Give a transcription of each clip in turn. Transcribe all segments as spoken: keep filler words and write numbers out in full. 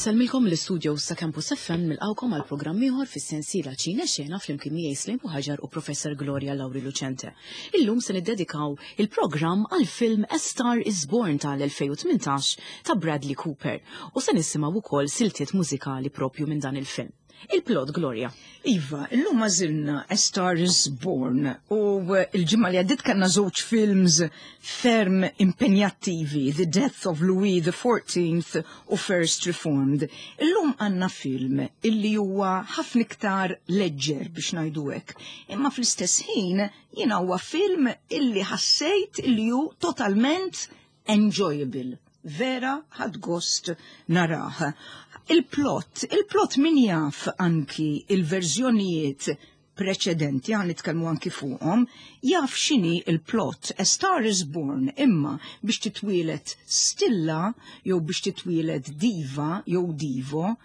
Insellmilkom l-istudio sa' Campus F M, nilqgħukom għal programm ieħor fis-sensiela Ċine Xena flimkien miegħi Slim Ħaġar u Professor Gloria Lauri Lucente. Illum se niddedikaw il-programm għal film A Star is Born tal-elfejn u tmintax ta' Bradley Cooper u se nisimgħu wkoll siltiet mużikali propju minn dan il-film. Il-plot, Gloria. Iva, illum għażilna A Star is Born u il-ġimgħa li għaddit kellna żewġ films ferm impenjattivi, The Death of Louis the Fourteenth u First Reformed. Illum għandna film illi huwa ħafna iktar leġġer, biex ngħidu hekk. Imma fl-istess ħin jiena huwa film illi ħassejt illi hu totalment enjoyable. Vera ħadt gost narah. Il-plot, il-plot min jaf anki il-verżjonijiet preċedenti, ħa nitkellmu anki fuqhom, jaf x'inhi il-plot. A Star is Born, imma biex titwielet stilla jew biex titwielet diva jew divo,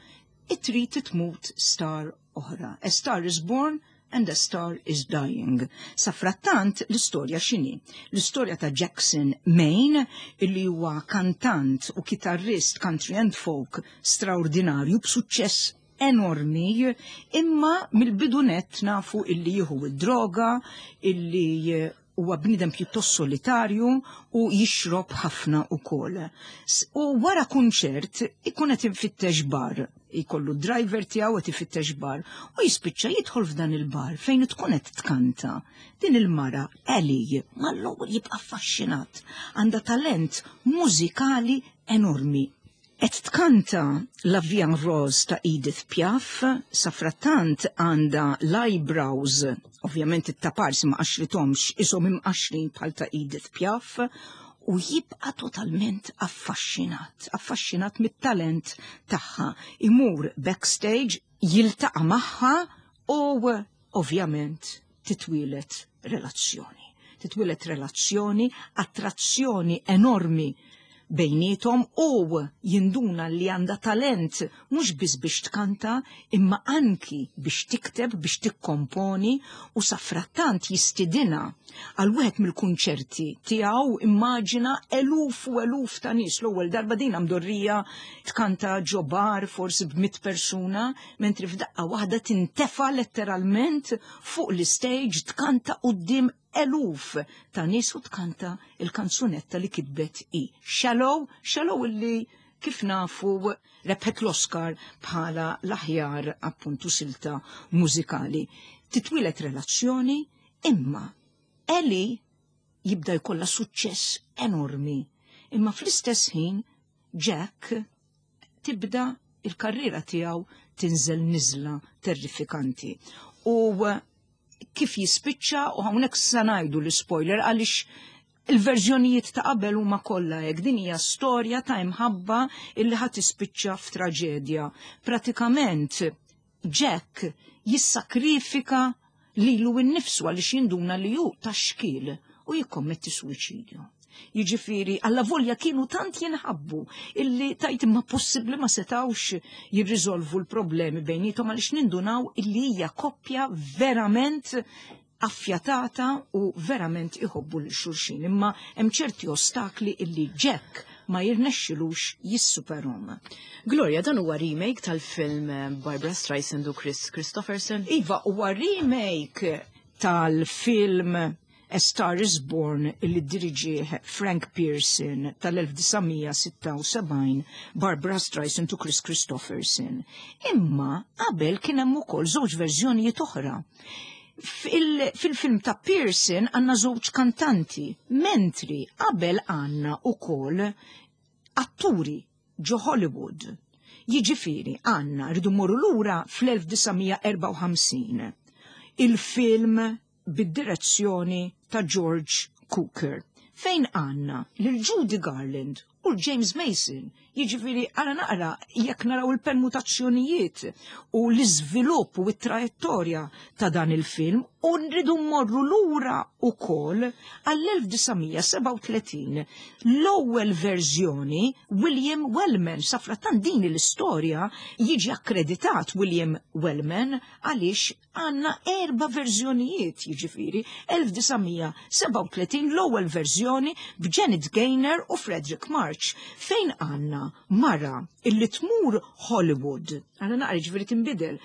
trid tmut star oħra. A Star is Born and a Star is Dying. Safrattant l-istorja x'inhi? L-istorja ta' Jackson Maine, illi huwa kantant u kitarrist country and folk straordinarju b'suċċess enormi, imma mill-bidunet nafu illi jieħu id-droga, illi huwa bniedem pjuttost solitarju u jixrob ħafna ukoll. U wara kunċert ikun qed ifittex bar, jkollu driver tiegħu qed ifittex bar u jispiċċa jidħol f'dan il-bar fejn tkun qed tkanta. Din il-mara Ellie mal-ewwel jibqa' affaxxinat, għandha talent mużikali enormi. Qed tkanta La Vie en Rose ta' Edith Piaf, safrattant għandha l-eyebrows, ovvjament it-taparsi ma qaxrithomx, ishom imqaxrin bħal ta' Edith Piaf, u jibqa totalment affaxxinat, affaxxinat mit-talent tagħha. Imur backstage, jiltaqa' magħha u ovvjament titwielet relazzjoni. Titwielet relazzjoni, attrazzjoni enormi bejnietom u jinduna li għandha talent mhux biss biex tkanta imma anki biex tikteb, biex tikkomponi, u safrattant jistidina għal wieħed mill-kunċerti tiegħu. Immaġina eluf u eluf ta' nies, l-ewwel darba din mdorrija tkanta ġo bar forsi b'mitt persuna, mentri f'daqqa waħda tintefa' letteralment fuq l-stage tkanta quddiem eluf ta' nies u tkanta il-kanzunetta li kitbet i. Shallow, Shallow illi kif nafu rebħet l-Oscar bħala l-aħjar appuntu silta mużikali. Titwilet relazzjoni, imma Ellie jibda jkollha suċċess enormi. Imma fl-istess ħin Jack tibda il-karriera tiegħu tinżel niżla terrifikanti. U kif jispiċċa, u hawnhekk se ngħidu l-spoiler għaliex il-verżjonijiet ta' qabel huma kollha hekk, din hija storja ta' imħabba illi ħa tispiċċa f'traġedja. Pratikament Jack jissakrifika lilu nnifsu għaliex jinduna li hu ta' xkiel u jikkommetti suwiċidju. Jiġifieri, alla volja kienu tant jinħabbu illi tajt imma possibbli ma setawx jirriżolvu l-problemi bejnietom, għaliex nindunaw illi hija koppja verament affjatata u verament iħobbu lil xulxin. Imma hemm ċerti ostakli illi Jack ma jirnexxilux jissuperhom. Gloria, dan huwa remake tal-film eh, Barbara Streisand u Kris Kristofferson. Iva, huwa remake tal-film A Star is Born illi diriġih Frank Pierson tal-elf disa' mija sitta u sebgħin, Barbara Streisand u Kris Kristofferson. Imma qabel kien hemm ukoll żewġ verżjonijiet oħra. Fil-film ta' Pierson għandna żewġ kantanti, mentri qabel għandna ukoll atturi ġo Hollywood. Jiġifieri għandna rridu mmorru lura fl-elf disa' mija erbgħa u ħamsin. Il-film bid-direzzjoni ta' George Cukor, fejn għandna lil Judy Garland u James Mason. Jiġifieri għara naqra jekk naraw il-permutazzjonijiet u l-iżvilupp u t-trajettorja ta' dan il-film, u nridu mmorru lura ukoll għall-elf disa' mija sebgħa u tletin, l-ewwel verżjoni, William Wellman. Safrattant din l-istorja jiġi akkreditat William Wellman għaliex għandna erba' verżjonijiet, jiġifieri elf disa' mija sebgħa u tletin l-ewwel verżjoni b'Janet Gaynor u Fredric March, fejn għandna mara illi tmur Hollywood. Għala naqra ġifieri tinbidel.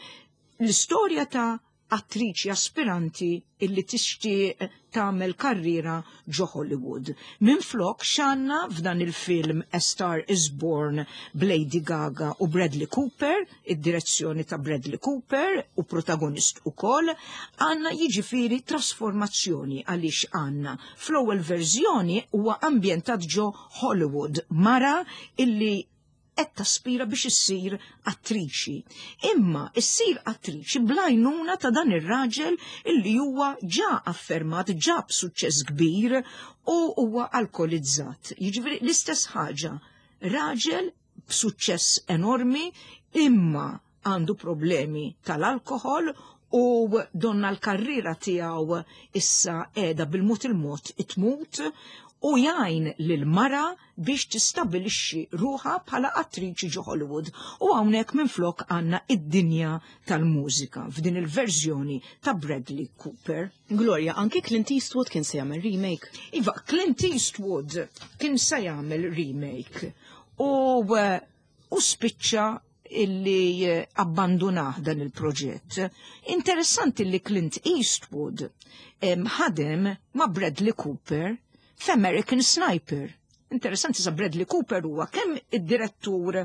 L-istorja ta' attriċi aspiranti illi tixtieq tagħmel karriera ġo Hollywood. Minflok x'għandna f'dan il-film A Star is Born b'Lady Gaga u Bradley Cooper, id-direzzjoni ta' Bradley Cooper u protagonist ukoll, għandna jiġifieri trasformazzjoni għaliex għandna fl-ewwel verżjoni huwa ambjentat ġo Hollywood, mara illi qed taspira biex issir attriċi. Imma issir attriċi bl-għajnuna ta' dan ir-raġel illi huwa ġa affermat, ġa b'suċċess kbir u huwa alkolizzat. Jiġifieri l-istess ħaġa, raġel b'suċċess enormi imma għandu problemi tal-alkohol u donna l-karriera tiegħu issa qiegħda bil-mod il-mod itmut u jgħin lil mara biex tistabilixxi ruħha bħala attriċi ġo Hollywood. U hawnhekk minflok għandna id-dinja tal-mużika f'din il-verżjoni ta' Bradley Cooper. Gloria, anki Clint Eastwood kien se jagħmel remake. Iva, Clint Eastwood kien se jagħmel remake u, u spiċċa illi abbandunah dan il-proġett. Interessanti li Clint Eastwood ħadem ma' Bradley Cooper f'American Sniper. Interessanti sa Bradley Cooper huwa kemm id-direttur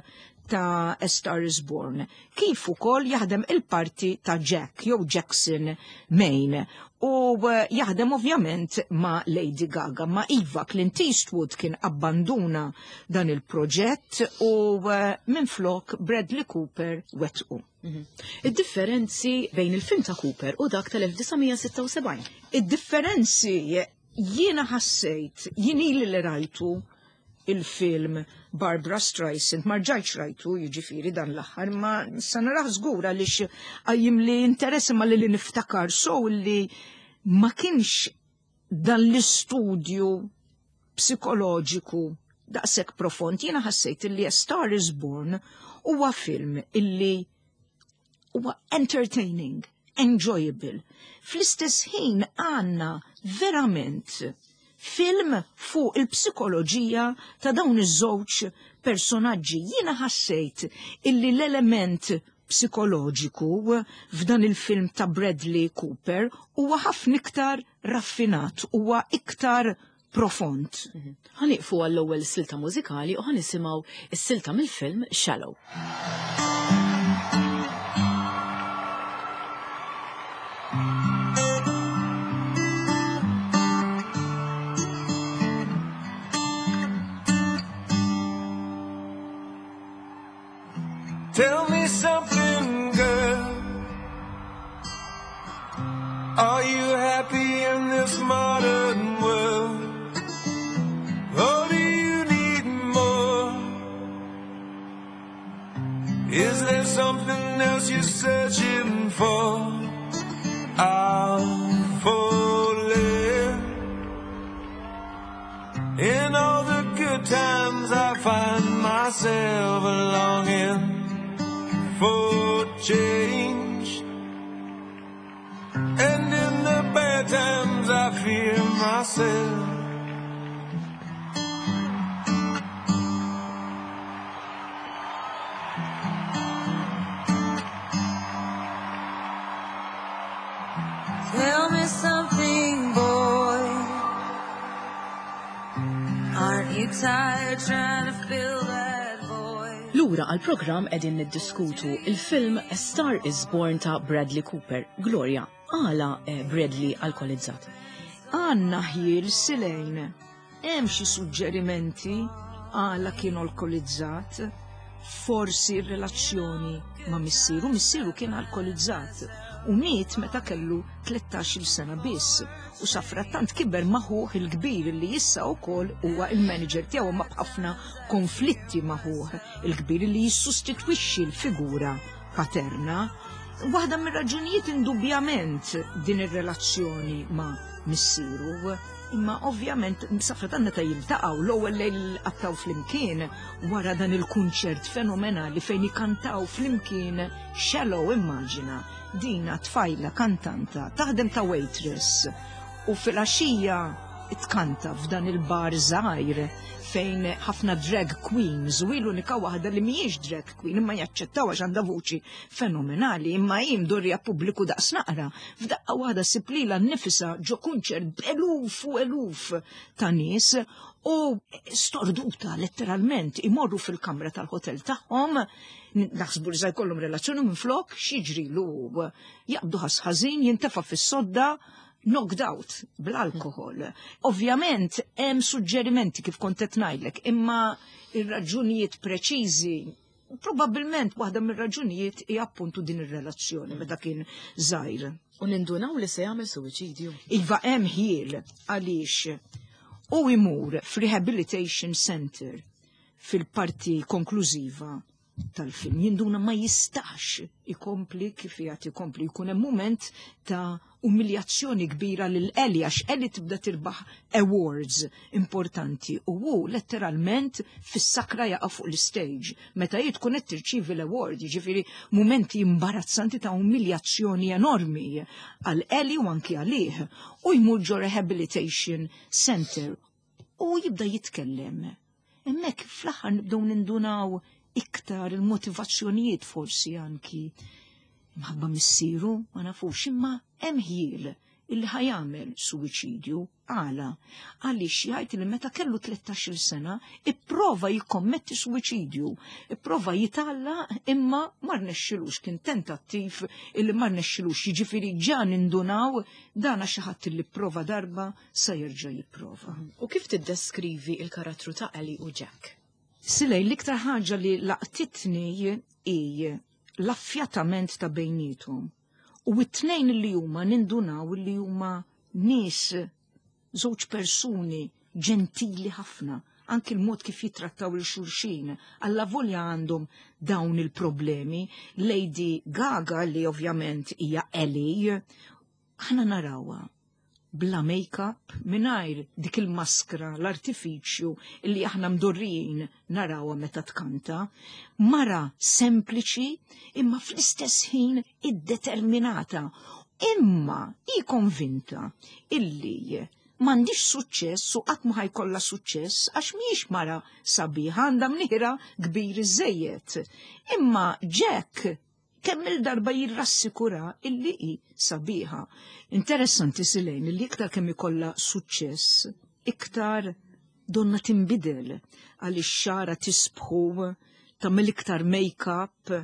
ta' A Star is Born, kif ukoll jaħdem il-parti ta' Jack jew Jackson Maine u jaħdem ovvjament ma' Lady Gaga. Ma' iva, Clint Eastwood kien abbanduna dan il-proġett u minflok Bradley Cooper wettqu. Id-differenzi bejn il-film ta' Cooper u dak tal-elf disa' mija sitta u sebgħin. Id-differenzi jiena ħassejt, jien ili li rajtu il-film Barbra Streisand, ma rġajtx rajtu jiġifieri dan l-aħħar, ma sa naraħ żgur għaliex qajjim li interess imma li li niftakar so li ma kienx dan l-istudju psikoloġiku daqshekk profond. Jiena ħassejt li A Star is Born huwa film illi huwa entertaining, enjoyable. Fl-istess ħin għandna verament film fuq il-psikoloġija ta' dawn iż-żewġ personaġġi. Jiena ħassejt illi l-element psikoloġiku f'dan il-film ta' Bradley Cooper huwa ħafna iktar raffinat, huwa iktar profond. Ħaniqfu għall-ewwel silta mużikali u ħanisimgħu is-silta mill-film Shallow. Tell me something, girl. Are you happy in this modern world? Or do you need more? Is there something else you're searching for? I'm falling. In all the good times I find myself longing for change, and in the bad times I fear myself. Tell me something, boy. Aren't you tired trying to fill that void? Lura għal-programm qegħdin niddiskutu il-film A Star is Born ta' Bradley Cooper. Gloria, għala, eh, Bradley alkolizzat? Għanna ħjiel silejn. Hemm xi suġġerimenti għala kien alkolizzat? Forsi r-relazzjoni ma' missieru, missieru kien alkolizzat u miet meta kellu tlettax-il sena biss. U safrattant kiber maħuħ il-kbir li issa wkoll huwa il-manager tiegħu, ma b'ħafna konflitti maħuħ il-kbir li jissostitwixxi l-figura paterna. Waħda mir-raġunijiet indubjament din ir-relazzjoni ma' missieru, imma ovvjament safrattant meta jiltaqgħu l-ewwel lejl qattaw flimkien wara dan il-kunċert fenomenali fejn ikantaw flimkien Shallow. Immaġina dina tfajla kantanta taħdem ta' waitress u fil-għaxija tkanta f'dan il-bar żgħir Fejn ħafna drag queens u l-unika waħda li mhijiex drag queen imma jaċċettaw għax għandha vuċi fenomenali, imma hi mdorrija pubbliku daqs naqra. F'daqqa waħda ssib lilha nnifisha ġo kunċert b'eluf u eluf ta' nies u storduta letteralment. Imorru fil-kamra tal-hotel tagħhom, naħsbu li jkollhom relazzjoni, minn flok x'jiġrilu? Jaqbdu ħass ħażin, jintefa' fis-sodda knocked out bl-alkohol. Ovvjament hemm suġġerimenti kif kont qed ngħidlek, imma ir-raġunijiet preċiżi, probabbilment waħda mir-raġunijiet hija appuntu din ir-relazzjoni meta kien żgħir. U nindunaw li se jagħmel suwiċidju. Iva, hemm ħjiel għaliex u imur f'rehabilitation center fil-parti konklużiva tal-film. Jinduna ma jistax ikompli kif jgħat ikompli. Jkun hemm moment ta' umiljazzjoni kbira lil Ellie għax Ellie tibda tirbaħ awards importanti u hu letteralment fis-sakra jaqa' fuq l-stage meta hi tkun qed tirċievi l-award, jiġifieri momenti imbarazzanti ta' umiljazzjoni enormi għal Ellie u anki għalih, u jmur ġo rehabilitation center u jibda jitkellem. Hemmhekk fl-aħħar nibdew nindunaw iktar il-motivazzjonijiet, forsi anki mħabba missieru, ma nafux, imma hemm ħjiel illi ħa jagħmel suwiċidju. Għala? Għaliex jgħid li meta kellu tlettax-il sena ipprova jikkommetti suwiċidju, ipprova jitgħalla imma ma rnexxilux, kien tentattiv illi ma rnexxilux, jiġifieri ġa nindunaw dana xi ħadd illi prova darba sa jerġa' jipprova. U kif tiddeskrivi il-karattru ta' Ellie u Jack? Silej, l-iktar ħaġa li laqtitni hi l-affjatament ta' bejnietom. U it-tnejn li huma nindunaw li huma nies, żewġ persuni ġentili ħafna, anki l-mod kif jitrattaw lil xulxin, alla volja għandhom dawn il-problemi. Lady Gaga, li ovvjament hija Ellie, aħna narawha bla make-up, mingħajr dik il-maskra, l-artifiċju illi aħna mdorrijin narawha meta tkanta, mara sempliċi imma fl-istess ħin iddeterminata. Imma hi konvinta illi m'għandhiex suċċess u qatt ma ħa jkollha suċċess għax mhijiex mara sabiħa, għandha mniħra kbir iżejjed. Imma Jack kemm il-darba jirrassikura illi hi sabiħa. Interessanti, Silejn, illi iktar kemm ikollha suċċess, iktar donna tinbidel għaliex xagħarha tisbħu, tagħmel iktar make-up,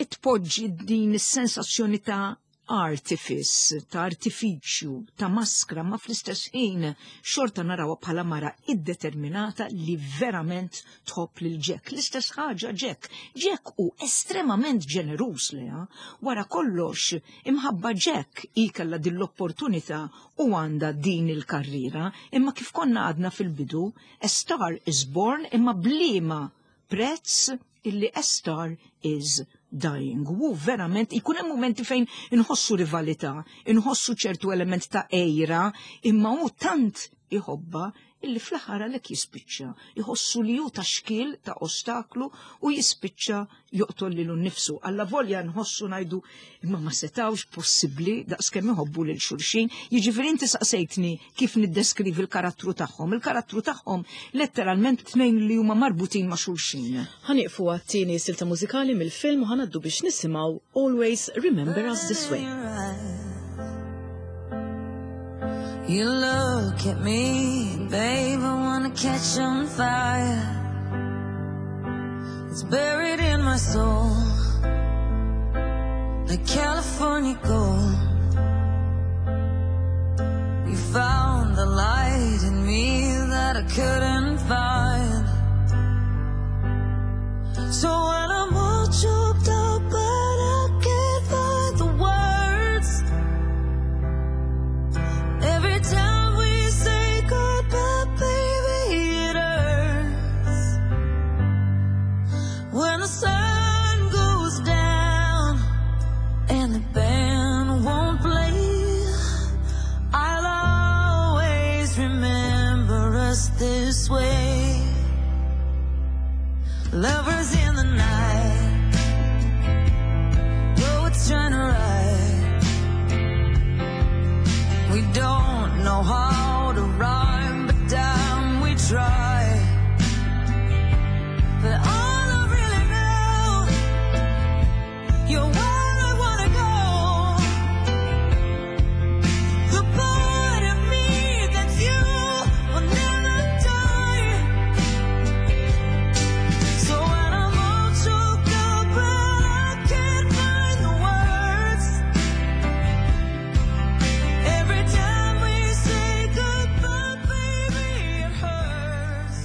itpoġġi din is-sensazzjoni ta' artifice, ta' artifiċju, ta' maskra, ma fl-istess ħin xorta narawha bħala mara iddeterminata li verament tħobb lil Jack. L-istess ħaġa Jack. Jack hu estremament ġeneruż lejha. Wara kollox, imħabba Jack hi kellha din l-opportunità u għandha din il-karriera, imma kif konna għadna fil-bidu, A Star Is Born, imma b'liema prezz illi a star is dying. U verament, ikun hemm momenti fejn inħossu rivalità, inħossu ċertu element ta' għira, imma hu tant iħobba illi fl-aħħar għalhekk jispiċċa. Iħossu li hu ta' xkiel, ta' ostaklu, u jispiċċa joqtol lilu nnifsu. Alla volja nħossu ngħidu imma ma setawx possibbli daqskemm iħobbu lil xulxin. Jiġifieri inti saqsejtni kif niddeskrivi l-karattru tagħhom. Il-karattru tagħhom letteralment tnejn li huma marbutin ma' xulxin. Ħa nieqfu għat-tieni silta mużikali mill-film u ħa ngħaddu biex nisimgħu Always Remember Us This Way. You look at me, babe, I wanna catch on fire. It's buried in my soul, like California gold. You found the light in me that I couldn't find. So when I'm all choked up, but I can't find the words, every time we say goodbye, baby, it hurts. When the sun goes down and the band won't play, I'll always remember us this way. You're where I wanna go. The part of me that's you will never die. So when I'm all choked up and I can't find the words, every time we say goodbye, baby, it hurts.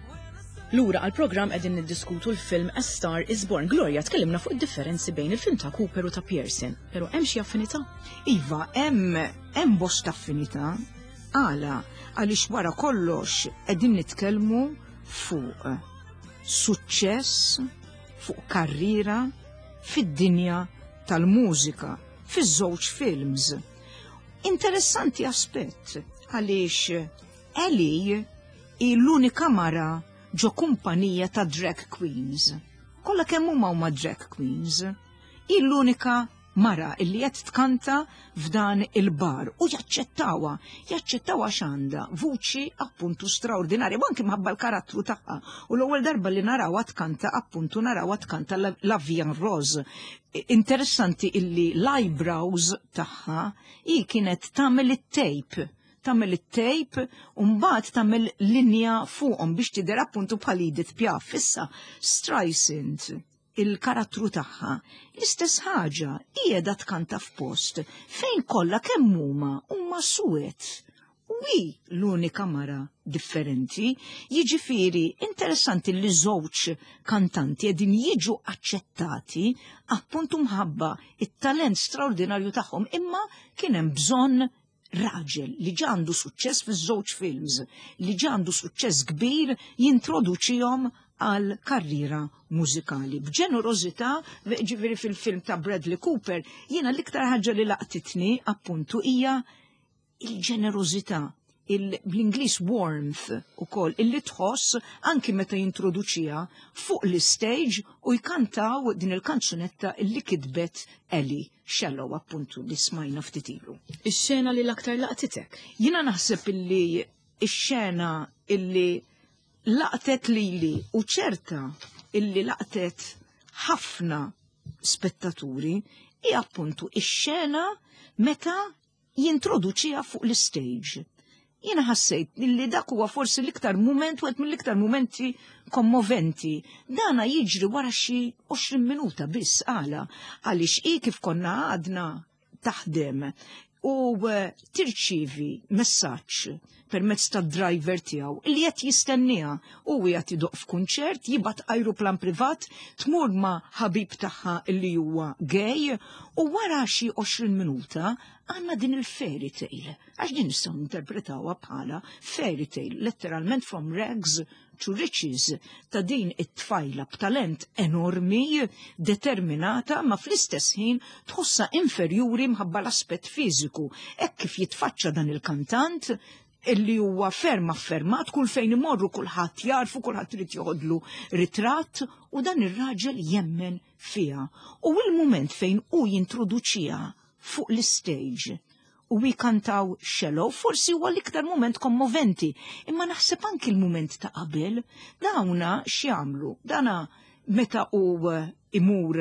When the sun Lura għal-programm qegħdin niddiskutu l-film A Star is Born. Gloria, tkellimna fuq id-differenzi bejn il-film ta' Cooper u ta' Pearson, pero hemm xi affinità? Iva, hemm hemm bosta affinità. Għala, għaliex wara kollox qegħdin nitkellmu fuq suċċess, fuq karriera fid-dinja tal-mużika, fiż-żewġ films. Interessanti aspett għaliex Ellie hi l-unika mara ġo kumpanija ta' drag queens. Kollha kemm huma huma drag queens. Hi l-unika mara illi qed tkanta f'dan il-bar u jaċċettawha, jaċċettawha x'għandha vuċi appuntu straordinarja, u anki mħabba l-karattru tagħha. U l-ewwel darba li narawha tkanta appuntu narawha tkanta La, La Vie en Rose. Interessanti illi l-eyebrows tagħha hi kienet tagħmel it-tape tagħmel it-tape u mbagħad tagħmel linja fuqhom biex tidher appuntu bħal Edith Piaf. Issa Streisand il-karattru tagħha l-istess ħaġa qiegħda tkanta f'post fejn kollha kemm huma huma suwed. U hi l-unika mara differenti, jiġifieri interessanti li żewġ kantanti qegħdin jiġu aċċettati appuntu mħabba it-talent straordinarju tagħhom, imma kien hemm bżonn raġel li għandu suċċess fiż-żewġ films, li għandu suċċess kbir jintroduċihom għal karriera mużikali. B'ġenerożità, ġifieri fil-film ta' Bradley Cooper, jiena l-iktar ħaġa li laqtitni appuntu hija il-ġenerożità, il- bl-Ingliż warmth ukoll, illi tħoss anki meta jintroduċiha fuq l-stage u jkantaw din il-kanzunetta illi kitbet Ellie Shallow appuntu li smajna ftit ilu. Ix-xena li l-aktar laqtitek? Jiena naħseb illi ix-xena illi laqtet lili u ċerta illi laqtet ħafna spettaturi hi appuntu ix-xena meta jintroduċiha fuq l-stage. Jiena ħassejt illi dak huwa forsi l-iktar moment, wieħed mill-iktar momenti kommoventi. Dana jiġri wara xi għoxrin minuta biss għala, għaliex hi kif konna għadna taħdem u eh, tirċivi messaġġ permezz tad driver tiegħu li qed jistenniha u qed idoqq f'kunċert, jibgħat ajruplan privat, tmur ma' ħabib tagħha li huwa gay u wara xi għoxrin minuta għandna din il-fairy tale. Għax din nistgħu interpretawha bħala fairy tale, letteralment from rags to riches, ta' din it-tfajla b'talent enormi, determinata, ma fl-istess ħin tħossa inferjuri mħabba l-aspett fiżiku. Hekk kif jitfaċċa dan il-kantant, illi huwa ferm affermat, kull fejn imorru kulħadd jarfu, kulħadd irid joħodlu ritratt u dan ir-raġel jemmen fiha. U il-mument fejn hu jintroduċiha fuq l-stage u jkantaw Shallow, forsi huwa l-iktar moment kommoventi, imma naħseb anki l-moment ta' qabel, dawna x'jagħmlu? Dana meta u imur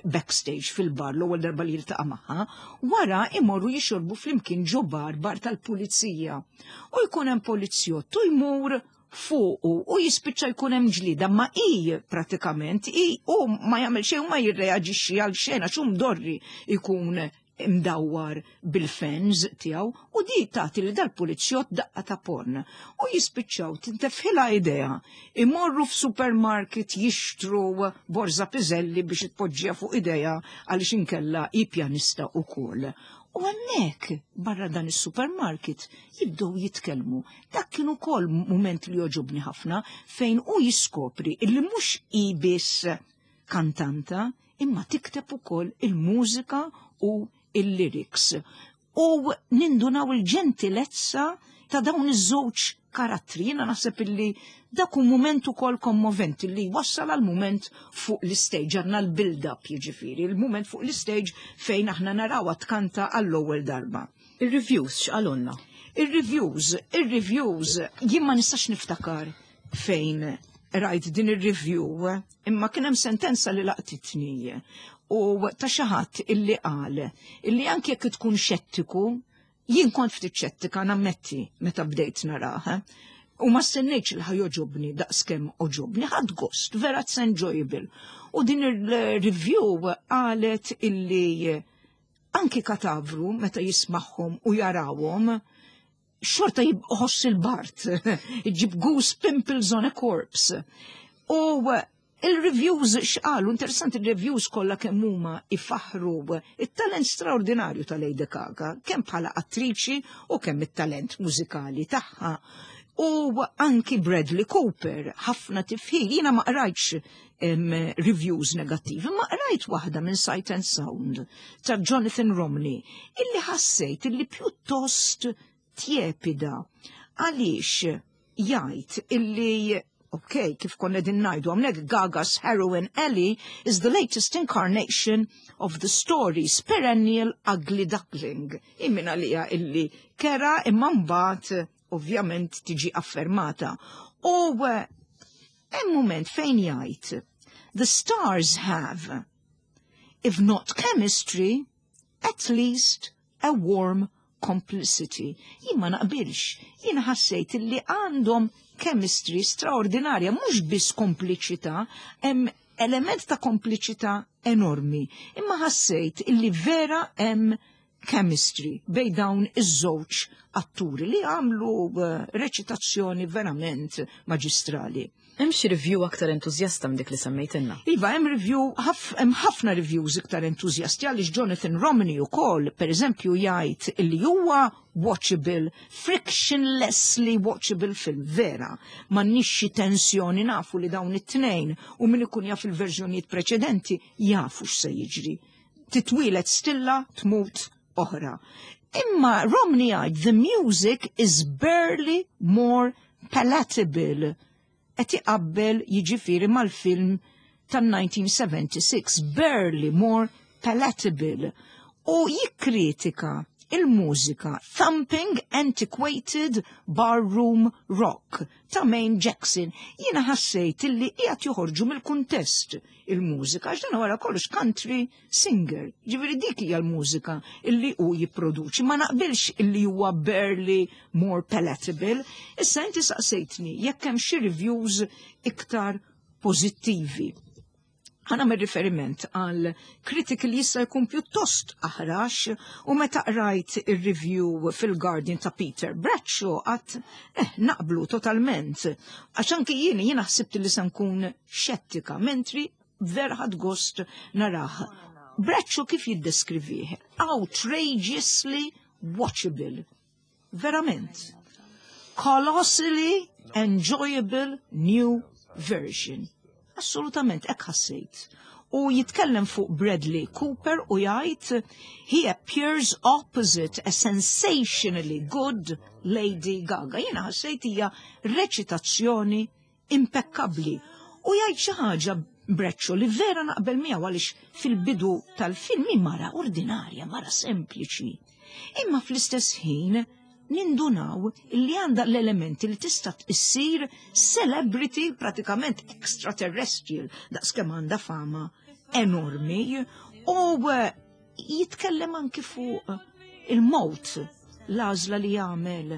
backstage fil-bar l-ewwel darba li jiltaqa' magħha, wara imorru jixorbu flimkien ġo bar, bar tal-pulizija. U jkun hemm polizzjott u jmur fuqu u jispiċċa jkun hemm ġlida, ma i pratikament i u ma jagħmel xejn u ma jirreaġixxi għal xejn għax hu mdorri jkun imdawwar bil-fans tiegħu u di tagħti li dal-pulizzjott daqqa ta' ponn u jispiċċaw tintefħilha idea imorru f'supermarket jixtru borza piżelli biex tpoġġiha fuq idejha għaliex inkella hi pjanista ukoll. U hemmhekk barra dan is-supermarket jibdew jitkellmu. Dak kien ukoll mument li jogħġobni ħafna fejn hu jiskopri illi mhux hi biss kantanta imma tikteb ukoll il-mużika u il-lyrics. U nindunaw il-ġentilezza ta' dawn iż-żewġ karattri. Jiena naħseb illi dak hu mument ukoll kommoventi li wassal għal mument fuq l-stage, għandna l-build-up jiġifieri, il-mument fuq l-stage fejn aħna narawha tkanta għall-ewwel darba. Il-reviews x'qalulna? Il-reviews, il-reviews, jien ma nistax niftakar fejn Rajt din ir-review, imma kien hemm sentenza li laqtitni u ta' xi ħadd illi qal illi anke jekk tkun xettiku, jien kont ftit xettika, nammetti, meta bdejt narah. U ma stennejtx li ħa jogħġobni daqskemm għoġobni, ħadt gost, vera it's enjoyable. U din il-review qalet illi anki katavru meta jismagħhom u jarawhom xorta jħoss il-bard, iġib goose pimples on a corpse. U il-reviews x'qalu, interessanti, il-reviews kollha kemm huma ifaħru it-talent straordinarju ta' Lady Gaga, kemm bħala attriċi u kemm it-talent mużikali tagħha. U anki Bradley Cooper, ħafna tifħir, jiena ma qrajtx reviews negattivi, ma qrajt waħda minn Sight and Sound ta' Jonathan Romney, illi ħassejt illi pjuttost tjepida. Għaliex jgħid illi, ok, kif konna din ngħidu, għamlek Gaga's heroine Ellie is the latest incarnation of the story's perennial ugly duckling. Immin għalija illi kera, imma mbagħad ovvjament tiġi affermata. U eh, hemm moment fejn jgħid, "The stars have, if not chemistry, at least a warm complicity." Jien ma naqbilx, jien ħassejt li għandhom chemistry straordinarja, mhux biss kompliċità, hemm element ta' kompliċità enormi, imma ħassejt illi vera hemm chemistry bejn dawn iż-żewġ atturi li għamlu eh, reċitazzjoni verament maġistrali. Hemm xi review aktar entużjasta minn dik li semmejtilna? Iva, hemm review, hemm ħafna reviews iktar entużjasti, għaliex Jonathan Romney ukoll, per eżempju, jgħid li huwa watchable, frictionlessly watchable film, vera. M'għandniex xi tensjoni, nafu li dawn it-tnejn u min ikun jaf il-verżjonijiet preċedenti jafu x'se jiġri. Titwieled stilla, tmut oħra. Imma Romney jgħid, "The music is barely more palatable." Qed iqabbel jiġifieri mal-film tan-elf disa' mija u sebgħa u sebgħin, barely more palatable. U jikkritika il-mużika, thumping antiquated barroom rock ta' Maine Jackson. Jiena ħassejt illi qiegħed joħorġu mill-kuntest il-mużika, għax dan wara kollox country singer. Ġifieri dik hija l-mużika illi hu jipproduċi. Ma naqbilx illi huwa barely more palatable. Issa inti saqsejtni jekk hemm xi reviews iktar pożittivi. Ħa nagħmel riferiment għal kritik li jista' jkun pjuttost aħrax, u meta qrajt ir-review fil-Guardian ta' Peter Bradshaw għedt eh, naqblu totalment. Għax anki jien jiena ħsibt li se nkun xettika, mentri vera ħadt gost narah. Bradshaw kif jiddeskrivih? Outrageously watchable. Verament. Colossally enjoyable new version. Assolutament, hekk ħassejt. U jitkellem fuq Bradley Cooper u jgħid, "He appears opposite a sensationally good Lady Gaga." Jiena ħassejt hija reċitazzjoni impeccabli. U jgħid xi ħaġa Bradshaw li vera naqbel miegħu, għaliex fil-bidu tal-film hi mara ordinarja, mara sempliċi. Imma fl-istess ħin nindunaw li għandha l-elementi li tista' issir celebrity pratikament extraterrestrial, daqskemm għandha fama enormi, u eh, jitkellem anki fuq il-mot, l-għażla li jagħmel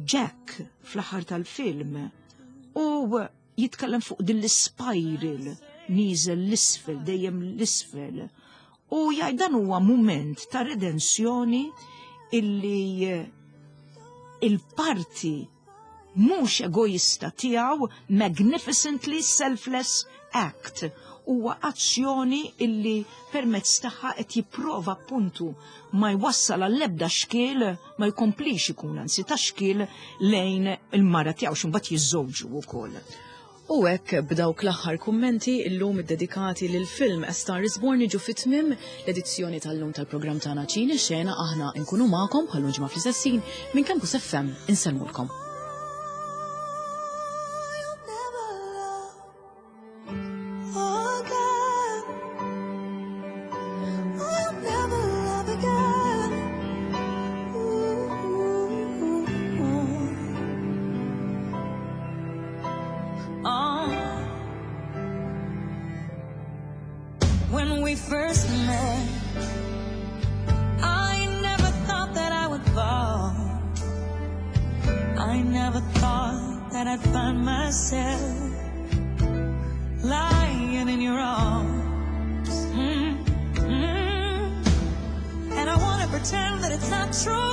Jack fl-aħħar tal-film, u jitkellem fuq din l-spiral nieżel l-isfel, dejjem l-isfel. U jgħid dan huwa moment ta' redenzjoni illi eh, il-parti mhux egoista tiegħu, magnificently selfless act, huwa azzjoni illi permezz tagħha qed jipprova appuntu ma jwassal għall-ebda xkiel, ma jkomplix ikun anzi ta' xkiel lejn il-mara tiegħu, x'imbagħad jiżżewġu wkoll. U hekk b'dawk l-aħħar kummenti illum iddedikati lil film A Star is Born niġu fit-tmiem l-edizzjoni tal-lum tal-programm tagħna Ċine Xena. Aħna nkunu magħkom bħal ġimgħa fl-istess ħin minn Campus F M. Insellmulkom. You'll never love again. You'll never love again. Ooh. Oh. When we first met, I never thought that I would fall. I never thought that I'd find myself lying in your arms. Mm, mm. And I wanna pretend that it's not true.